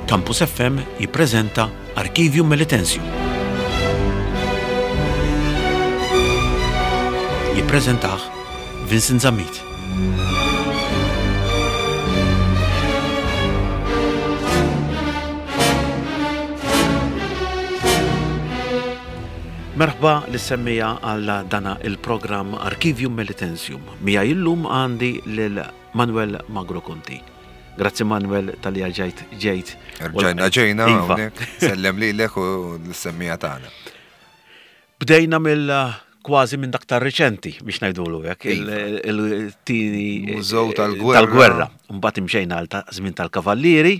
Campus FM jippreżenta Archivium Melitensium. Jippreżentah Vincent Zammit. Merħba lis-semmija għal dana il-programm Archivium Melitensium. Mija illum għandi lil Manuel Magro Conti. Grazzi Manuel tal-li ġejt ġejt. Rġajna ġejna iva. hawnhekk. Sellem lilek u l-semmija tagħna. Bdejna mill kważi minn dak tar-riċenti biex ngħidulu hekk, Iva. il-tieni Mużew tal-gwerra. Tal-gwerra. Mbagħad imxejna għal ta' żmien tal-kavallieri.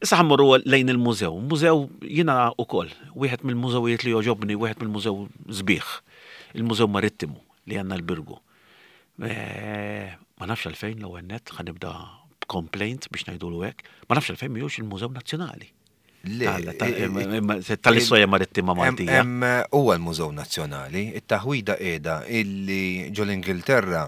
Issa ħammorru lejn il-mużew. Mużew jiena wkoll, wieħed mill-mużewijiet li jogħġobni, wieħed mill-mużew sbieħ, il-Mużew Marittimu li għandna l-Birgu. Eh, ma nafx għalfejn l-ewwel nett ħa nibda b'complaint biex ngħidulu hekk, ma nafx għalfejn mhijiex il-Mużew Nazzjonali. Tal-istorja marittima Maltija. Huwa l-Mużew Nazzjonali, it-taħwida qiegħda illi ġol-Ingilterra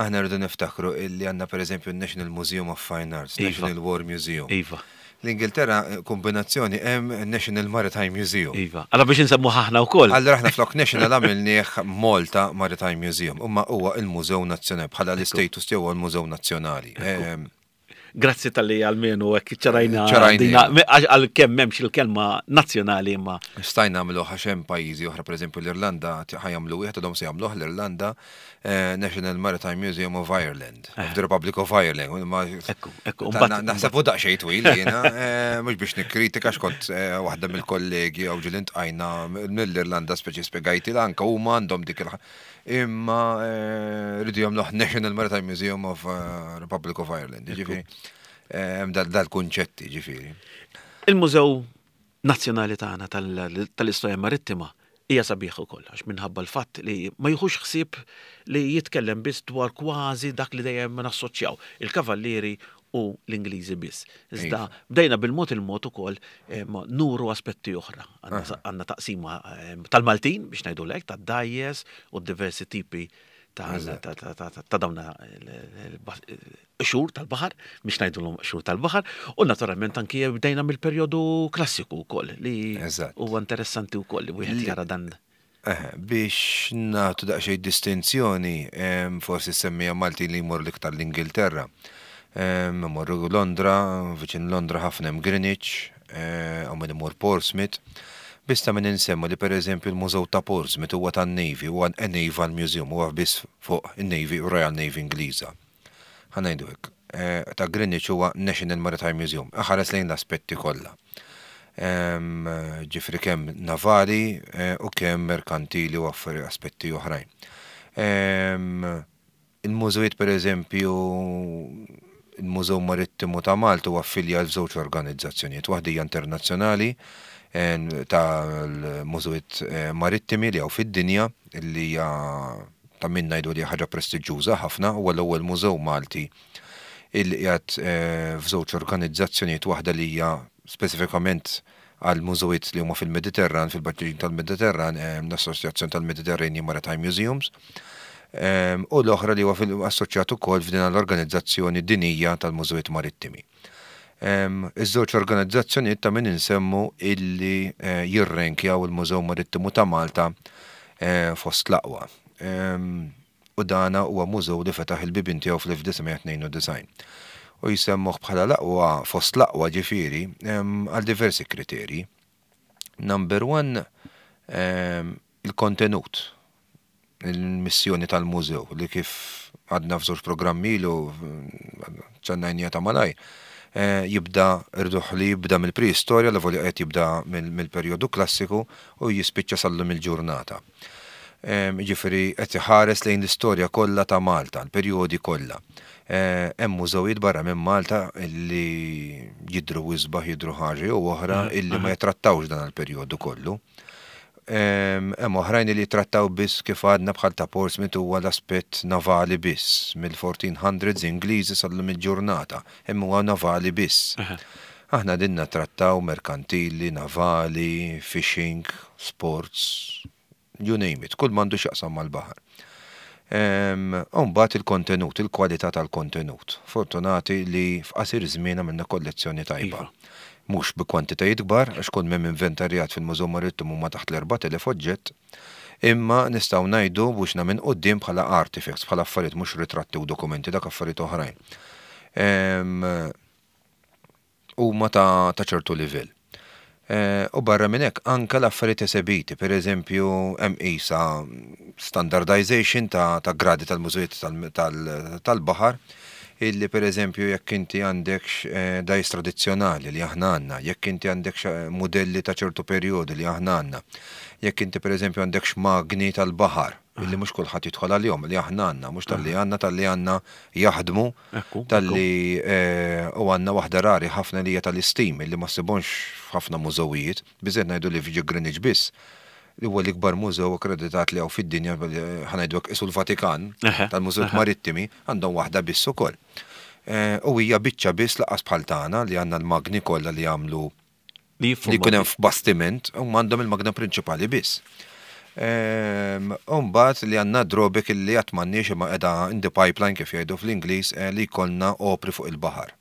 aħna rridu niftakru illi għandna pereżempju n-National Museum of Fine Arts, Iva. National War Museum. Iva. L-Ingilterra kombinazzjoni hemm National Maritime Museum. Iva. Allora biex insemmu aħna wkoll. Allora aħna flok National għamilnieh Malta Maritime Museum, imma huwa il-Mużew Nazzjonali bħala l-istatus tiegħu huwa l-Mużew Nazzjonali. Ehm, Grazzi tal-li għalmenu hekk ċarajna. Ċarajna. Għal kemm m'hemmx il-kelma nazzjonali imma. Stajna nagħmlu għax hemm pajjiżi oħra, pereżempju l-Irlanda ħajamlu wieħed għadhom se jagħmluh l-Irlanda eh, National Maritime Museum of Ireland, of the Republic of Ireland. Ma- Ekku, ekku. Ta- na- Naħseb u daqsxejn twil jiena, eh, mhux biex nikkritika x'kont eh, waħda mill-kollegi jew ġieli ntqajna mill-Irlanda speċi spjegajti anke huma għandhom dik il Imma eh, rridu jagħmluh National Maritime Museum of eh, Republic of Ireland. Ġifieri, eh, hemm dal- dal-kunċetti ġifieri. Il-Mużew Nazzjonali tagħna tal-Istorja Marittima hija sabiħ ukoll għax minħabba l-fatt li ma jieħux ħsieb li jitkellem biss dwar kważi dak li dejjem nassoċjaw, il-kavallieri u l-Ingliżi biss. Iżda bdejna bil-mod il-mod ukoll nuru aspetti oħra. Għandna taqsima tal-Maltin biex ngħidu lek, tad-dajjes u diversi tipi ta' dawn xhur tal-baħar, biex ngħidulhom xhur tal-baħar, u naturalment anki bdejna mill-perjodu klassiku wkoll li huwa interessanti wkoll li wieħed jara dan. Biex nagħtu daqsxejn distinzjoni, forsi semmija Maltin li jmorru l-iktar l-Ingilterra. Imorru Londra, viċin Londra ħafna hemm Greenwich, hawn min imur Portsmouth. Biss ta' min insemmu li pereżempju l-Mużew ta' Portsmouth huwa tan-Navy, huwa a Naval Museum, huwa biss fuq in-Navy, Royal Navy Ingliża. Ħa ngħidu hekk, ta' Greenwich huwa National Maritime Museum, iħares lejn l-aspetti kollha. Ġifieri kemm navali u kemm merkantili u affari aspetti oħrajn. Il-mużewijiet pereżempju, il-Mużew Marittimu ta' Malta huwa affiljat f'żewġ organizzazzjonijiet, waħda hija internazzjonali tal-mużewijiet marittimi li hawn fid-dinja li hija ta' min ngħidu li hija ħaġa prestiġġuża ħafna, huwa l-ewwel mużew Malti illi qiegħed f'żewġ organizzazzjonijiet waħda li hija speċifikament għal mużewijiet li huma fil-Mediterran, fil-baċin tal-Mediterran, l-Assoċjazzjoni tal-Mediterranean Maritime Museums, u l-oħra li huwa assoċjat ukoll f'din l-organizzazzjoni dinija tal-mużewijiet marittimi. Iż-żewġ organizzazzjonijiet ta' min insemmu illi jirrenkjaw il-Mużew Marittimu ta' Malta fost l-aqwa. U dana huwa mużew li fetaħ il-bibien tiegħu fl-1992. U jsemmuh bħala l-aqwa fost l-aqwa ġifieri għal diversi kriterji. Number one, il-kontenut, il-missjoni tal-mużew li kif għadna f'żewġ programmi ilu ċannajnija ta' malaj, eh, jibda rduħ li jibda mill-preistorja, l qed jibda mill-perjodu klassiku u jispiċċa sal-lum il-ġurnata. Ġifieri qed iħares lejn l-istorja kollha ta' Malta, l-perjodi kollha. Eh, hemm mużewijiet barra minn Malta li jidhru isbaħ, jidhru ħaġa jew oħra illi ma jitrattawx dan il-perjodu kollu. Hemm oħrajn li jitrattaw biss kif għadna bħal ta' Portsmouth huwa l-aspett navali biss mill-1400s Ingliżi sal-lum il-ġurnata, hemm huwa navali biss. Aħna din natrattaw merkantili, navali, fishing, sports, you name it, kull m'għandu x'jaqsam mal-baħar. U mbagħad il-kontenut, il-kwalità tal-kontenut. Fortunati li f'qasir żmien għamilna kollezzjoni tajba. Mhux bi kwantitajiet kbar, għax kull m'hemm inventarjat fil-Mużew Marittimu huma taħt l-4,000 oġġett, imma nistgħu ngħidu b'wiċċna minn quddiem bħala artifacts, bħala affarijiet mhux ritratti u dokumenti, dak affarijiet oħrajn. Huma ta' ta' ċertu livell. U barra minn hekk anke l-affarijiet esebiti, per eżempju hemm qisha standardization ta' ta' gradi tal-mużewijiet tal-baħar illi per eżempju jekk inti għandekx dgħajjes tradizzjonali li aħna għandna, jekk inti għandekx mudelli ta' ċertu perjodu li aħna għandna, jekk inti per eżempju għandekx magni tal-baħar illi mhux kulħadd jidħol għalihom, li aħna għandna, mhux talli għandna, talli għandna jaħdmu, talli u għandna waħda rari ħafna li hija tal-istim illi ma ssibhomx f'ħafna mużewijiet, biżżejjed ngħidu li f'ġi Greenwich biss, li huwa l-ikbar mużew akkreditat li hawn fid-dinja, ħa ngħidu hekk qisu l-Vatikan tal-mużewijiet marittimi, għandhom waħda biss ukoll. U hija biċċa biss lanqas bħal tagħna li għandna l-magni kollha li jagħmlu Li li jkun hemm f'bastiment, huma għandhom il-magna prinċipali biss. Ehm, u mbagħad li għandna drawback li qatt m'għandniex imma qiegħda in the pipeline kif jgħidu fl-Ingliż eh, li jkollna opri fuq il-baħar.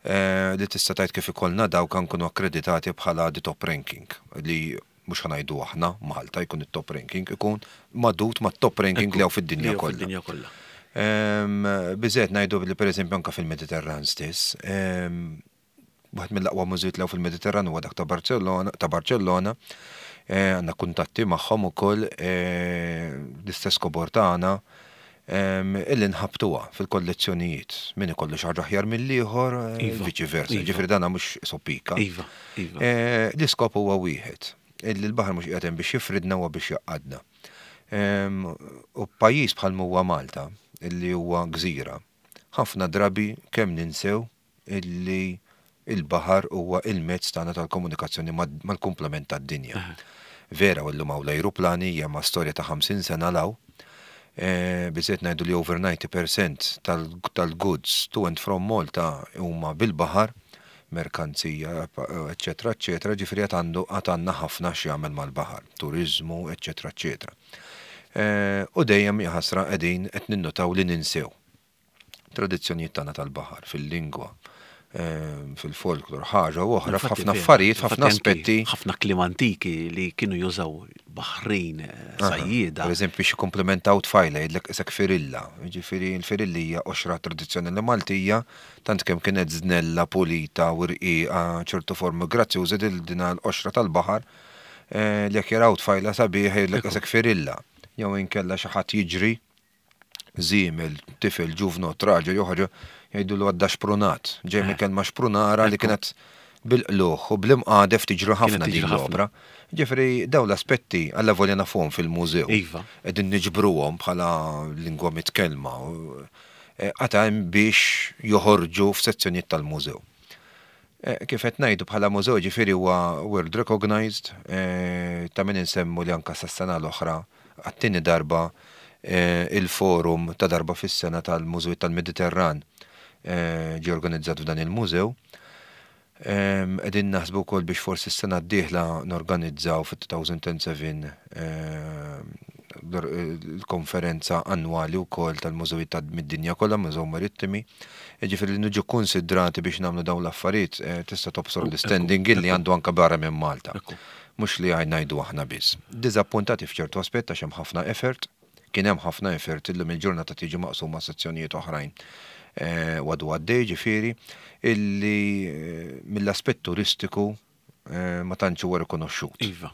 Eh, li tista' tgħid kif ikollna dawk nkunu akkreditati bħala the top ranking li mhux ħa ngħidu aħna Malta jkun it-top ranking, ikun magħdud mat-top ranking li hawn fid-dinja kollha. Ehm, biżżejjed ngħidu li pereżempju anke fil-Mediterran stess, ehm, Waħed mill-aqwa mużewijiet li hawn fil-Mediterran huwa dak ta' Barcellona, ta' Barcellona. Eh, għandna kuntatti magħhom ukoll eh, l-istess kobor tagħna ehm, illi nħabtuha fil-kollezzjonijiet. Min ikollu xi ħaġa aħjar mill-ieħor, eh, iva, viċi versa. Iva. Ġifieri dana mhux sopika. Iva, iva. L-iskop huwa wieħed. Illi l-baħar mhux qiegħed hemm biex jifridna huwa biex jgħaqqadna. Ehm, u pajjiż bħal huwa Malta, illi huwa gżira, ħafna drabi kemm ninsew illi il-baħar huwa il-mezz tagħna tal-komunikazzjoni mal-kumplament tad-dinja. Vera u llum hawn l-ajruplani hija ma' storja ta' 50 sena 'l hawn. Biżżejjed ngħidu li over 90% tal-goods to and from Malta huma bil-baħar, merkanzija, eċċetera, eċċetera, ġifieri għad għandu għad għandna ħafna x'jagħmel mal-baħar, turiżmu, eċċetera, eċċetera. U dejjem jaħasra qegħdin qed ninnutaw li ninsew. Tradizzjonijiet tagħna tal-baħar, fil-lingwa, fil-folklor, ħaġa u oħra, f'ħafna affarijiet, f'ħafna aspetti. Ħafna kliem antiki li kienu jużaw baħrin, sajjieda. Per eżempju, biex jikkumplimentaw tfajla jgħidlek qisek firilla. Jiġifieri l-firilli hija qoxra tradizzjonali Maltija, tant kemm kienet żnella, pulita u rqiqa, ċertu formi grazzjużi din l-qoxra tal-baħar li jekk jaraw tfajla sabiħa jgħidlek qisek firilla. Jew inkella xi ħadd jiġri żiemel, tifel, ġuvnott, raġel jew ħaġa, jgħidulu għadda xprunat. Ġej minn kelma xprunara li kienet bil-qlugħ u bl-imqadef tiġri ħafna din l-opra. Ġifieri dawn l-aspetti allavolja nafuhom fil-mużew. Iva. Qegħdin niġbruhom bħala lingwa mitkellma. Għad hemm biex joħorġu f'sezzjonijiet tal-mużew. Kif qed ngħidu bħala mużew ġifieri huwa world recognized, ta' min insemmu li anke sas-sena l-oħra għat-tieni darba il-forum ta' darba fis-sena tal-Mużewijiet tal-Mediterran ġie organizzat f'dan il-mużew. Qegħdin naħsbu wkoll biex forsi s-sena d-dieħla norganizzaw fit-2007 l-konferenza annwali wkoll tal-mużewijiet ta' mid-dinja kollha, Mużew Marittimi. Jiġifieri li niġu kkunsidrati biex nagħmlu dawn l-affarijiet tista' tobsor l-istanding illi għandu anke barra minn Malta. Mhux li ngħidu aħna biss. Diżappuntati f'ċertu aspett għax hemm ħafna effort, kien hemm ħafna effort illum il-ġurnata tiġi maqsuma sezzjonijiet oħrajn u għadu għaddej ġifieri, illi mill-aspett turistiku ma tantx huwa rikonoxxut. Iva.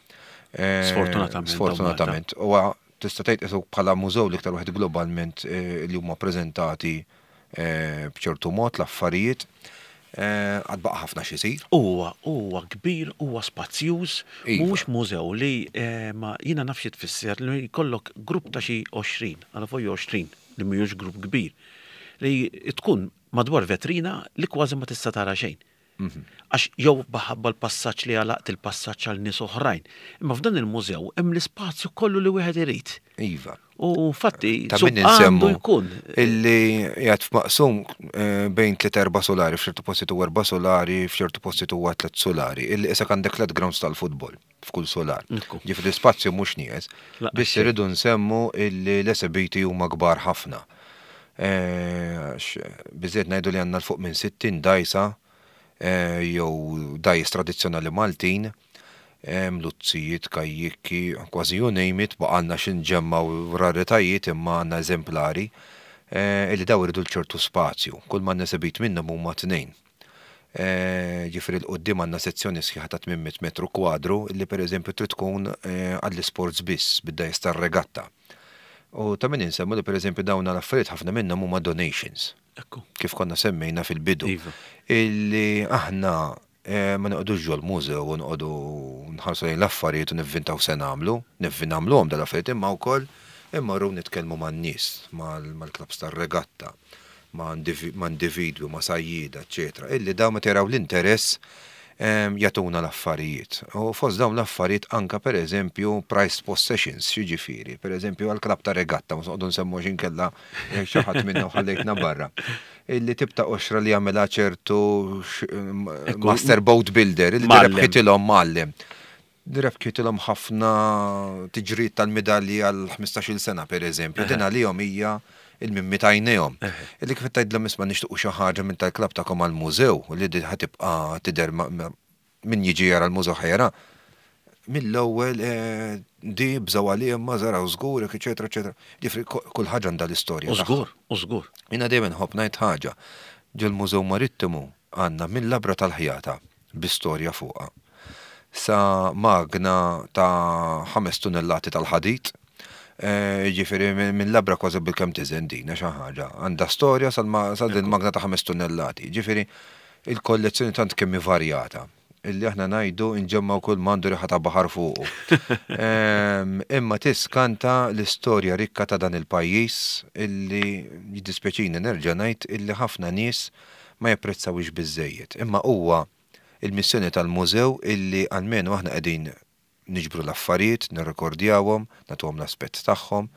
Sfortunatament. Sfortunatament. Huwa tista' tgħid qisu bħala mużew l-iktar wieħed globalment li huma preżentati b'ċertu mod l-affarijiet. Għad baqa' ħafna x'isir. Huwa, huwa kbir, huwa spazjuż, mhuwiex mużew li ma jiena naf xi tfisser li jkollok grupp ta' xi 20, għala fuq 20, li mhuwiex grupp kbir, li tkun madwar vetrina li kważi ma tista' tara xejn. Għax jew minħabba l-passaġġ li għalaqt il-passaġġ għal nies oħrajn. Imma f'dan il-mużew hemm l-ispazju kollu li wieħed irid. Iva. U infatti Ta' min għandu insemmu jkun. illi qiegħed f'maqsum eh, bejn tliet erba' solari, f'ċertu postijiet huwa erba' solari, f'ċertu postijiet huwa tliet solari, illi isek għandek tliet grounds tal-futbol f'kull solar. Ekku. Ġifieri l-ispazju mhux nieqes. Laqas Biss xejn. irridu nsemmu illi l-esebiti huma kbar ħafna. Eh, għax Biżżejjed ngħidu li għandna 'l fuq minn 60 dgħajsa eh, jew dgħajjes tradizzjonali Maltin, hemm luzzijiet, kajjikki, kważi you name it, baqgħalna xi nġemmgħu raritajiet imma għandna eżemplari eh, illi daw iridu ċertu spazju. Kull ma esebit minnhom huma tnejn. Eh, Ġifieri 'l quddiem għandna sezzjoni sħiħa ta' 800 metru kwadru illi pereżempju trid tkun eh, għall-isports biss bid-dgħajjes tar-regatta. U ta' min insemmu li pereżempju dawn l-affarijiet ħafna minnhom huma donations Ekku. kif konna semmejna fil-bidu. Iva. Illi aħna eh, ma noqogħdux ġol-mużew u noqogħdu nħarsu lejn l-affarijiet u nivvintaw se nagħmlu, nivvi nagħmluhom dal-affarijiet imma wkoll immorru nitkellmu man-nies, mal-klabs tar-regatta, ma' ma' individwi, ma' sajjieda, eċetera. Illi dawn meta jaraw l-interess em, jagħtuna l-affarijiet. U fost dawn l-affarijiet anka per eżempju prized possessions, jiġifieri, per eżempju għal-klab ta' regatta, ma noqogħdu nsemmu x'inkella jekk xi ħadd minna u ħallejtna barra. Illi tibta qoxra li jagħmilha ċertu Ekku. master boat builder, illi Mgħallem. rebħitilhom mgħallem. Rebħitilhom ħafna tiġrid tal-medalji għal 15-il sena per eżempju. Din għalihom hija il-mimmi tajnejhom. Illi kif tgħidlhom isma' nixtiequ xi ħaġa minn tal-klab tagħkom għall-mużew u li din ħa tibqa' tidher min jiġi jara l-mużew ħa jara. Mill-ewwel eh, di bżaw għalihom ma żaraw żgur, eċetera, eċetera. Ġifieri kull ħaġa għandha l-istorja. U tagħha. żgur, u żgur. Jiena dejjem nħobb ngħid ħaġa. Ġol-Mużew Marittimu għandna minn labra tal-ħjata bi storja fuqha. Sa magna ta' 5 tunnellati tal-ħadid. Eh, Ġifieri minn labra kważi bil-kemm tiżen din xi ħaġa. Għandha storja sal sal din magna ta' 5 tunnellati. Ġifieri il-kollezzjoni tant kemm hi varjata illi aħna ngħidu nġemmaw kull m'għandu riħa ta' baħar fuqu. Em, Imma tiskanta l-istorja rikka ta' dan il-pajjiż illi jiddispjaċini nerġa' ngħid illi ħafna nies ma japprezzawix biżejjed. Imma huwa il-missjoni tal-mużew illi almenu aħna qegħdin niġbru l-affarijiet, nirrekordjawhom, nagħtuhom l-aspett tagħhom.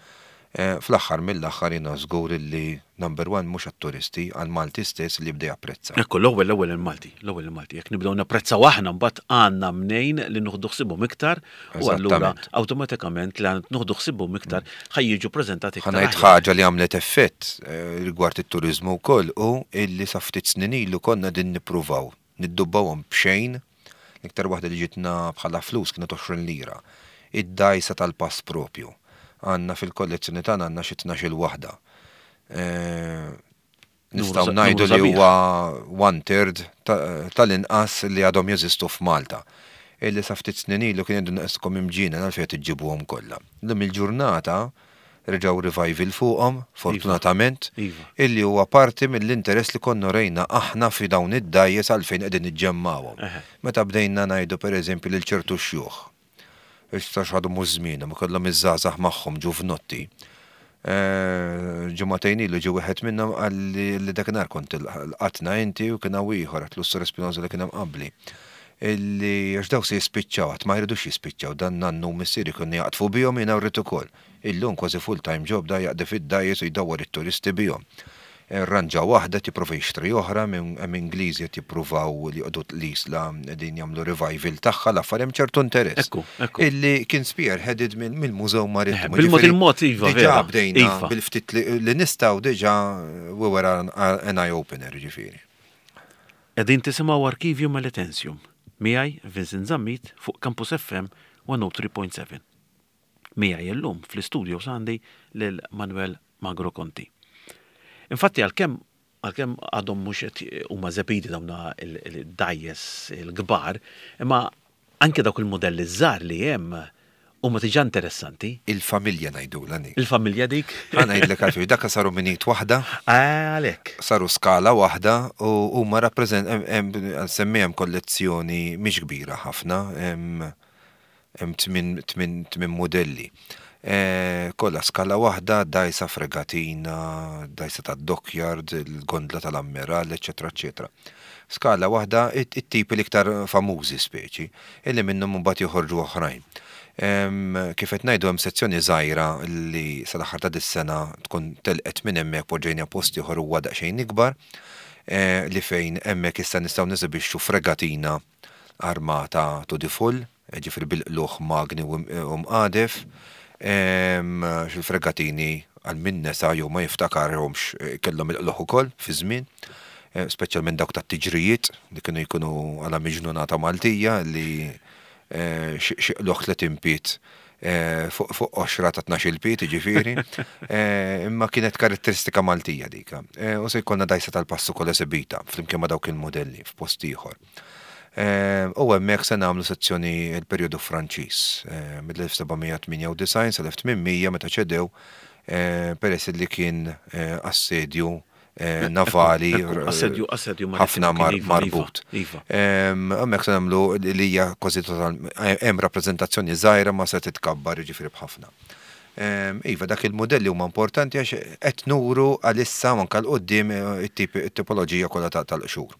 Eh, Fl-aħħar mill-aħħar jiena żgur illi number one mhux għat-turisti, għal-Malti stess li jibda japprezza. Ekku, l-ewwel l-ewwel il-Malti, l-ewwel il-Malti. Jekk nibdew napprezzaw aħna mbagħad għandna mnejn li nieħdu ħsibhom iktar u allura Eżattament. awtomatikament li nieħdu ħsibhom iktar ħa jiġu preżentati iktar. Ħa ngħid aħjar. ħaġa li għamlet effett eh, rigward it-turizmu wkoll u illi sa ftit snin ilu konna din nippruvaw niddubbawhom b'xejn. L-iktar waħda li ġitna bħala flus kienet 20 lira. Id-dgħajsa tal-pass propju. Għandna fil-kollezzjoni tagħna għandna xi 12-il waħda. Eh, Nistgħu Numru ngħidu li sabiħ. huwa one third tal-inqas li għadhom jeżistu f'Malta. Illi sa ftit snin ilu kien jgħidu naqskom imġina għalfejn qed iġġibuhom kollha. Illum il-ġurnata reġgħu revival fuqhom, fortunatament, Iva. illi huwa parti mill-interess li konna rejna aħna fi dawn id-dgħajjes għalfejn qegħdin niġġemmawhom. Eħe. Meta bdejna ngħidu pereżempju lil ċertu xjuħ, issa x'għadu mhux żmienhom, ikollhom iż-żgħażagħ magħhom ġuvnotti. Eh, Ġimagħtejn ilu ġie wieħed minnhom qalli li dakinhar kont lqatna inti u kien hawn ieħor għatlu s-Sur Espinosa li kien hemm qabli. Illi għax daw se jispiċċaw, għad ma jridux jispiċċaw, dan nannu missieri kienu jaqtfu bihom jiena rrid ukoll. Illum kważi full-time job da jaqdi fid-dgħajjes u jdawwar it-turisti bihom. Ranġa waħda tipprova jixtri oħra minn hemm Ingliżi qed jippruvaw li joqogħdu l-isla qegħdin jagħmlu revival tagħha l-affari hemm ċertu interess. Ekku, ekku. Illi kien spearheaded mill-Mużew Marittimu. Eh, bil-mod Ġifieri, il-mod, iva, Diġà vera. bdejna Iva. bil-ftit li li nistgħu diġà we were an, an eye opener ġifieri. Qegħdin tisimgħu Arkivju Melitensium. Miegħi Vincent Zammit fuq Campus FM 103.7. Miegħi illum fl-istudio għandi lil Manuel Magro Conti. Infatti għalkemm għalkemm għadhom mhux qed huma esebiti dawn il-dgħajjes il-kbar, imma anke dawk il-modelli żgħar li hemm huma diġà interessanti. Il-familja ngħidulha dik. Il-familja dik. Ħa ngħidlek għalfejn dak saru minit waħda, Għalhekk. saru skala waħda u huma rappreżent semmi hemm kollezzjoni mhix kbira ħafna, hemm hemm tmien modelli. Kollha skala waħda, dgħajsa fregatina, dgħajsa tad-dockyard, il-gondla tal-ammirall, eċċetera eċċetera. Skala waħda, it-tipi l-iktar famużi speċi, illi minnhom imbagħad joħorġu oħrajn. Kif qed ngħidu hemm sezzjoni żgħira li sal-aħħar ta' dis-sena tkun telqet minn hemmhekk poġġejniha post ieħor huwa daqsxejn ikbar, li fejn hemmhekk issa nistgħu nesibixxu fregatina armata to the full, Jiġifieri bil-qlugħ magni u mqadef, għax il-fregatini għal min nesa jew ma jiftakarhomx kellhom il-qlugħ ukoll fi żmien, speċjalment dawk tat-tiġrijiet li kienu jkunu għala miġnunata Maltija li xi qlugħ 30 pied fuq qoxra ta' 12-il pied jiġifieri. Imma kienet karatteristika Maltija dik. U se jkollna dgħajsa tal-pass ukoll esibita flimkien ma' dawk il-mudelli f'post ieħor. U hemmhekk se nagħmlu sezzjoni l-perjodu Franċiż mill-1798 sal-1800 meta ċedew peress li kien assedju navali ħafna marbut. Hemmhekk se nagħmlu li hija kważi total hemm rappreżentazzjoni żgħira ma se titkabbar jiġifieri b'ħafna. Iva, dak il-mudelli huma importanti għax qed nuru għalissa u anke 'l quddiem it-tipoloġija kollha tal-qxur.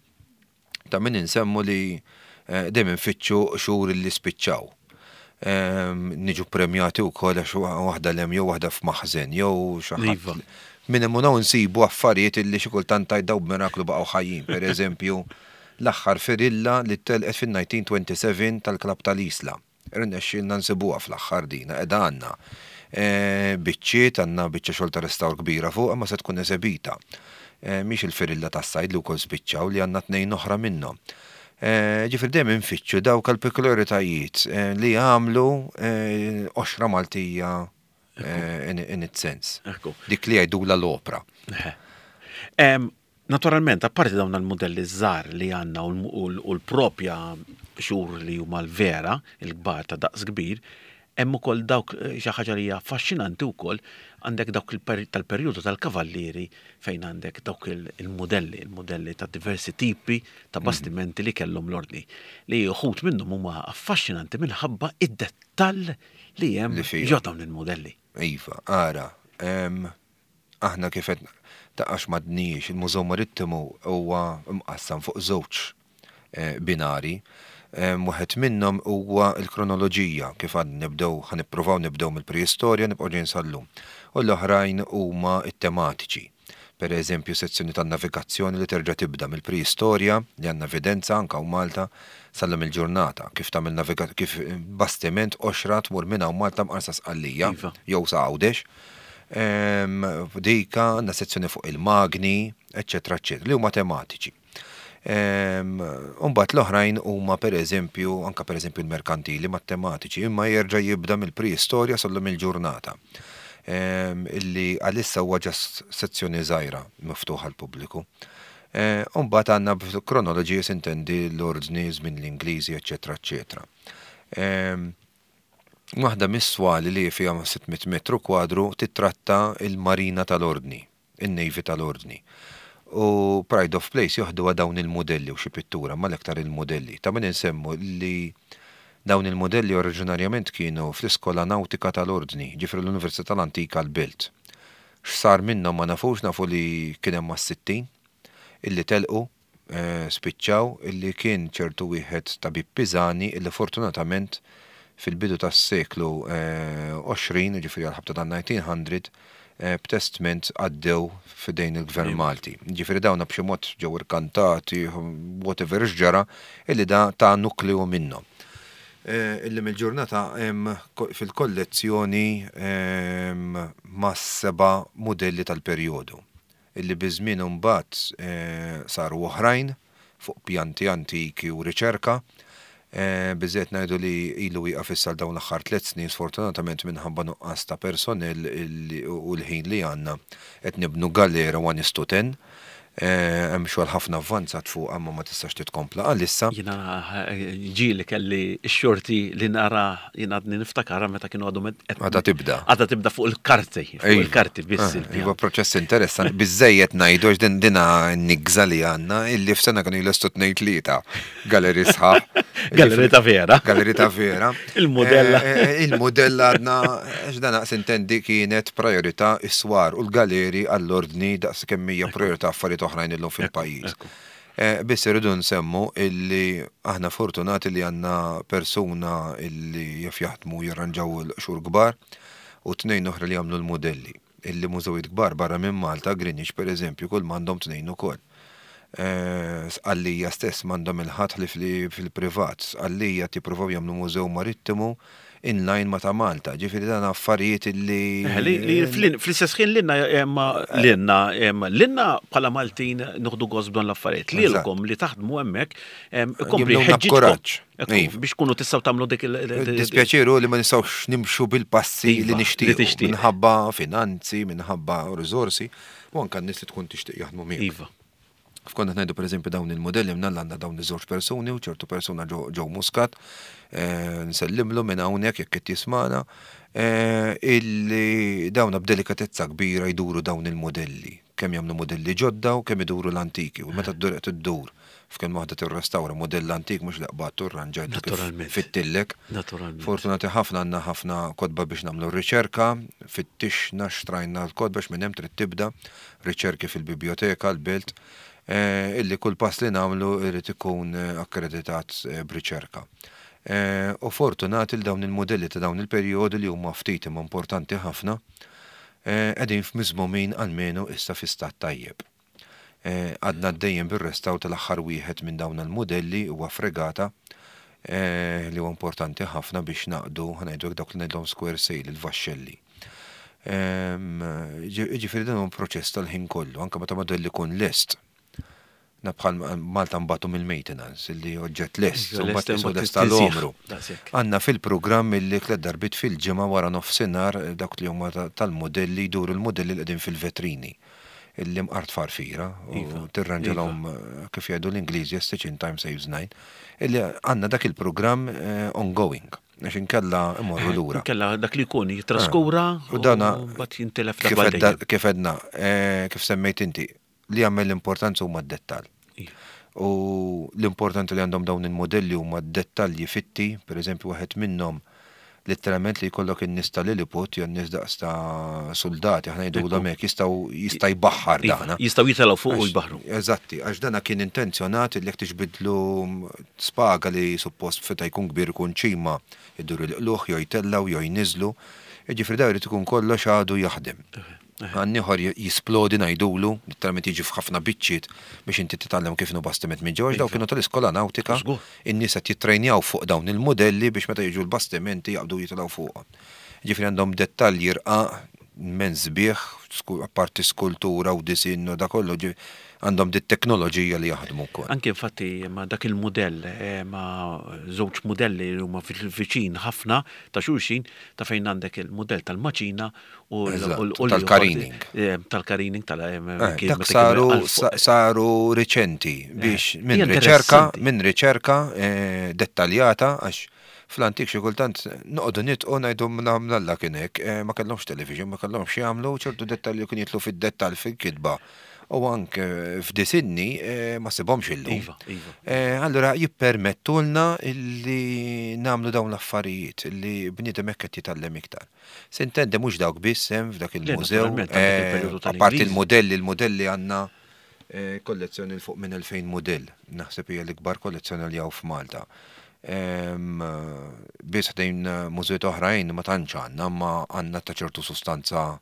Ta' min insemmu li dejjem infittxu qxur li spiċċaw. Niġu ppremjati wkoll għax waħda 'l hemm jew waħda f'maħżen jew xi ħadd. Iva. Minn hemm u hawn insibu affarijiet illi xi kultant tgħid dawn b'miraklu baqgħu ħajjin. Per eżempju, l-aħħar firilla li telqet fin-1927 tal-klabb tal-Isla. Irnexxielna nsibuha fl-aħħar din, qiegħda għandna. Biċċiet, għandna biċċa xogħol ta' restawr kbira fuqha imma se tkun esebita. Mhix il-firilla tas-sajd li wkoll spiċċaw li għandna tnejn oħra minnhom. Ġifieri dejjem infittxu dawk il-pekuljaritajiet li jagħmlu qoxra Maltija in its sense. Dik li jgħidulha l-opra. Naturalment, apparti dawn il-mudelli żgħar li għandna u l-propja qxur li huma l-vera, il-kbar ta' daqs kbir, hemm ukoll dawk xi ħaġa li hija affaxxinanti wkoll, għandek dawk tal-perjodu tal-kavallieri fejn għandek dawk il-mudelli, il-mudelli ta' diversi tipi ta' bastimenti li kellhom l-ordni, li uħud minnhom huma affaxxinanti minħabba id-dettall li hemm ġo dawn il-mudelli. Iva, ara, Aħna kif qed taqax m'għadnijiex, il-Mużew Marittimu huwa mqassam fuq żewġ binari. Wieħed minnhom huwa l-kronoloġija, kif għadna nibdew, ħa nippruvaw nibdew mill-preistorja nibqgħu ġejjin sal-lum. U l-oħrajn huma t-tematiċi. Per eżempju, sezzjoni tan-navigazzjoni li terġa' tibda mill-preistorja, li għandna evidenza anke hawn Malta, sal-lum il-ġurnata, kif tagħmel naviga kif bastiment qoxra tmur minn hawn Malta mqar sa Sqallija jew sa Għawdex. Dika għandna sezzjoni fuq il-magni, eċċetera, eċċetera, li huma tematiċi. Umbagħad l-oħrajn huma pereżempju, anke pereżempju l-merkantili ma tematiċi, imma jerġa' jibda mill-preistorja sal-lum il-ġurnata. Illi għalissa huwa ġast sezzjoni żgħira miftuħa għall-pubbliku. Umbagħad għandna kronoloġija sintendi l-ordni żmien l-Ingliżi, eċċetera, eċċetera. Waħda mis-swali li fiha 600 metru kwadru tittratta l-Marina tal-Ordni, in-Navy tal-Ordni. U Pride of Place joħduha dawn il-mudelli u xi pittura, imma l-aktar il-mudelli. Ta' min insemmu li dawn il-mudelli oriġinarjament kienu fl-Iskola Nawtika tal-Ordni, ġifieri l-Università l-Antika l-Belt. X'sar minnhom ma nafux, nafu li kien hemm mas-60 illi telqu spiċċaw illi kien ċertu wieħed tabib Pisani illi fortunatament fil-bidu tas-seklu 20, jiġifieri għall-ħabta tan-1900, b'testment għaddew f'idejn il-Gvern Malti. Jiġifieri dawna b'xi mod ġew irkantati, whatever x'ġara, illi da ta nukleu minnhom. Illum il-ġurnata hemm fil-kollezzjoni mas-seba' mudelli tal-perjodu. illi biż-żmien imbagħad saru oħrajn fuq pjanti antiki u riċerka. Biżżejjed ngħidu li ilu wieqaf issa għal dawn l-aħħar tlett snin sfortunatament minħabba nuqqas ta' personnel u l-ħin li għandna qed nibnu galera one is to ten. Hemm xogħol ħafna avvanzat fuqha imma ma tistax titkompla għalissa. Jiena ġieli kelli x-xorti li nara, jien għadni niftakarha meta kienu għadhom qed. Għadha tibda. Għadha tibda fuq il-karti, fuq il-karti biss. Iva proċess interessanti, biżżejjed ngħidu għax din dina n-nigża li għandna illi f'sena kienu jlestu tnejn tlieta galeri sħaħ. Galleri ta' vera. Galleri ta' vera. Il-modella. Eh, eh, il-modella għadna, għax dan naqs intendi kienet priorità is-swar u l-galeri għall-ordni daqs kemm hija priorità affarijiet oħrajn illum fil-pajjiż. Eh, biss irridu nsemmu illi aħna fortunati li għandna persuna illi jaf jaħdmu jirranġaw l-qxur kbar u tnejn oħra li jagħmlu l-modelli. Illi mużewijiet kbar barra minn Malta, Greenwich per eżempju, kull m'għandhom tnejn ukoll. Eh, Sqallija stess m'għandhom il-ħadd ħlief li fil-privat. Sqallija tippruvaw jagħmlu mużew marittimu in line ma ta' Malta. Ġifieri dan affarijiet illi. Eh, li fl-istess ħin lilna eh, lilna lilna bħala Maltin noħdu gost b'dan l-affarijiet. Lilkom li taħdmu hemmhekk ikompli ħeġġiġkom. Iva. Biex kunu tistgħu tagħmlu dik il- Dispjaċiru li ma nistgħux nimxu bil-passi li iva, nixtieq. Minħabba finanzi, minħabba riżorsi, u anke n-nies li tkun tixtieq jaħdmu miegħek. Iva. F'konna ngħidu pereżempju dawn il-modelli mnalla għandna dawn iż-żewġ persuni u ċertu persuna ġew Muscat, eh, nsellimlu minn hawnhekk jekk qed jismana, eh, illi dawna b'delikatezza kbira jduru dawn il-modelli, kemm jagħmlu modelli ġodda u kemm iduru l-antiki u meta ddur qed iddur f'kemm waħda tirrestawra modell antik mhux li qbadtu rranġajtu kif fittillek. Naturalment. Fortunati ħafna għandna ħafna kotba biex nagħmlu r-riċerka, fittixna xtrajna l-kotba minn hemm trid tibda riċerki fil-bibjoteka, l-belt, illi kull pass li nagħmlu jrid ikun akkreditat b'riċerka. U fortunati li dawn il-mudelli ta' dawn il-perjodi li huma ftit imma importanti ħafna, qegħdin f'miżmumin almenu issa fi stat tajjeb. Għadna għaddejjin bir-restawr tal-aħħar wieħed minn dawn il-mudelli, huwa fregata, li huwa importanti ħafna biex naqdu, ħa ngħidu hekk, dawk li ngħidlhom square sail, il-vaxxelli. Jiġifieri dan huwa proċess tal-ħin kollu, anke meta modell ikun lest. Na bħal Malta nbatu mill-maintenance, illi oġġett lest, u mbagħad qisu lest tal-għomru. Għandna fil-programm illi tliet darbiet fil-ġimgħa wara nofsinhar dawk li huma tal-modelli jduru l-modelli li qegħdin fil-vetrini illi mqar tfarfira u tirranġalhom kif jgħidu l-Ingliżi a stitch in time saves nine, illi għandna dak il-programm ongoing. Għax inkella imorru lura. Inkella dak li jkun jitraskura u dana mbagħad jintilef darba Kif edna, kif semmejt inti, li jagħmel l-importanza huma d-dettall. Iva. U l-importanti li għandhom dawn il-modelli huma d-dettalji fitti, per eżempju waħed minnhom letteralment li jkollok in-nies ta' Lilliput jew n-nies daqs ta' suldati, aħna ngħidulhom hekk, jistgħu jista' jbaħħar iva, dana. Jistgħu jitilgħu fuq u jbaħħru. Eżatti, għax dana kien intenzjonat li jekk tiġbidlu Spaga li suppost feta jkun kbir ikun ċima, idur il-qlugħ jew jtellgħu jew jniżżlu. Jiġifieri dan irid ikun kollox għadu jaħdem. Għan ieħor jisplodi ngħidulu, litteralment jiġi f'ħafna biċċiet biex inti titgħallem kif inhu bastiment minn ġewwa għax dawk kienu tal-iskola nawtika, in-nies qed jittrejnjaw fuq dawn il-mudelli biex meta jiġu l-bastimenti jaqbdu jitilgħu fuqhom. Jiġifieri għandhom dettalji rqaq immens sbieħ, apparti skultura u disinn u da kollu, għandhom dit-teknoloġija li jaħdmu wkoll. Anke infatti ma' dak il-mudell, ma' żewġ mudelli li huma viċin ħafna ta' xulxin, ta' fejn għandek il-mudell tal-maċina u tal-karining. Tal-karining tal Dak saru saru riċenti biex minn riċerka minn riċerka dettaljata għax fl-antik xi kultant noqogħdu nitqu ngħidu mnalla kien hekk, ma kellhomx television, ma kellhomx x'jagħmlu, ċertu dettalji kienu jidħlu fid-dettall fil-kitba u anke f'disinni ma ssibhomx illum. Iva, iva. Allura jippermettulna li nagħmlu dawn l-affarijiet li bniedem hekk qed jitgħallem iktar. S'intendi mhux dawk biss hemm f'dak il-mużew. Apparti il-mudelli, il-mudelli għandna kollezzjoni 'l fuq minn 2000 mudell. Naħseb hija l-ikbar kollezzjoni li hawn f'Malta. Biss ħdejn mużewijiet oħrajn ma tantx għandna, imma għandna ta' ċertu sustanza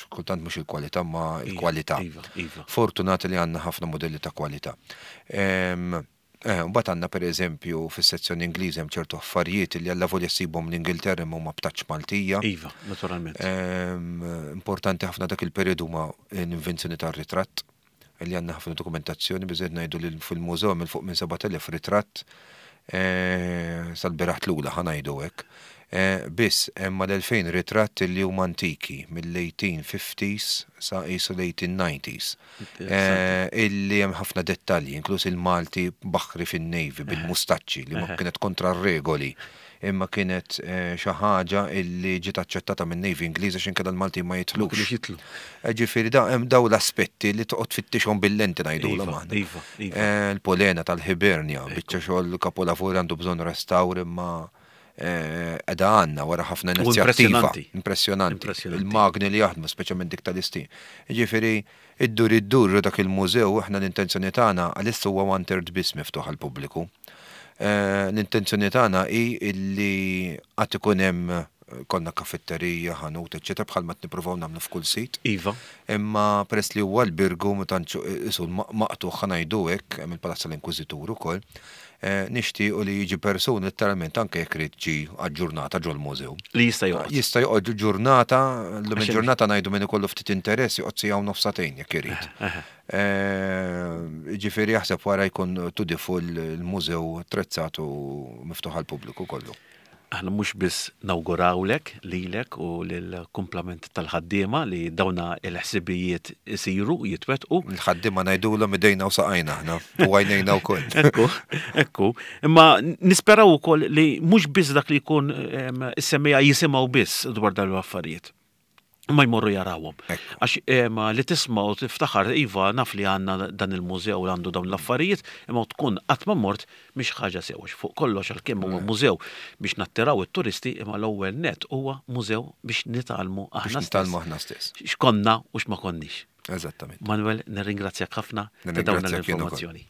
kultant mhux il-kwalità ma l-kwalità. Iva, iva. Fortunati li għandna ħafna modelli ta' kwalità. Mbagħad għandna pereżempju fis-sezzjoni Ingliża hemm ċertu affarijiet li allavolja ssibhom l-Ingilterra imma huma b'taċċ Maltija. Iva, naturalment. Importanti ħafna dak il-perjodu huma l-invenzjoni tar-ritratt li għandna ħafna dokumentazzjoni, biżżejjed ngħidu li fil-mużew hemm 'il fuq minn 7,000 ritratt sal-bieraħ tlula ħa ngħidu hekk. Biss hemm mal-2000 ritratt li huma antiki, mill-1850s sa qisu l-1890s. Illi hemm ħafna dettalji, inkluż il-Malti baħri fin-Navy bil-mustaċċi li ma kienet kontra r-regoli, imma kienet xi ħaġa illi ġiet aċċettata min-Navy Ingliża għax inkella l-Maltin ma jidħlux. Ma kinux jidħlu. Ġifieri da hemm dawn l-aspetti li toqgħod tfittixhom bil-lenti ngħidulhom aħna. Iva, iva. Il-polena tal-Hibernia, biċċa xogħol kapolavur għandu bżonn restawr imma Edha għandna wara ħafna inizjattiva. Impressjonanti. Il-magni li jaħdmu, speċjalment dik tal-istin. Ġifieri, iddur iddur dak il-mużew, aħna l-intenzjoni tagħna għalissa huwa one third biss miftuħ għall-pubbliku. L-intenzjoni tagħna hi illi għad ikun hemm konna kafetterija, ħanut, eċċetera, bħalma qed nippruvaw nagħmlu f'kull sit. Iva. Imma peress li huwa l-Birgu ma tantx isu maqtugħ ħa ngħidu hekk, hemm il-Palazz tal-Inkwiżitur ukoll, nixtiequ li jiġi persuna letteralment anke jekk irid ġi għal ġurnata ġol-mużew. Li jista' joqgħod. Jista' joqgħod ġurnata, llum il-ġurnata ngħidu min ikollu ftit interess joqgħod siegħa u nofs sagħtejn jekk irid. Ġifieri jaħseb wara jkun to the full il-mużew attrezzat u miftuħ għall-pubbliku kollu. Aħna mhux biss nawgurawlek lilek u lill-kumplament tal-ħaddiema li dawna l-ħsibijiet isiru, jitwettqu. Il-ħaddiema ngħidulhom idejna u saqajna aħna u għajnejna wkoll. Ekku, ekku. Imma nisperaw ukoll li mhux biss dak li jkun is-semmiegħa jisimgħu biss dwar dawn l-affarijiet. Ma jmorru jarawhom. Għax li tisma' u tiftaħar, iva naf li għandna dan il-mużew li għandu dawn l-affarijiet, imma tkun qatt ma mort mhix ħaġa sew għax fuq kollox għalkemm huwa mużew biex nattiraw it-turisti imma l-ewwel nett huwa mużew biex nitgħallmu aħna stess. Biex nitgħallmu aħna stess. X'konna u x'ma konniex. Eżattament. Manuel, nirringrazzjak ħafna ta' dawn l-informazzjoni.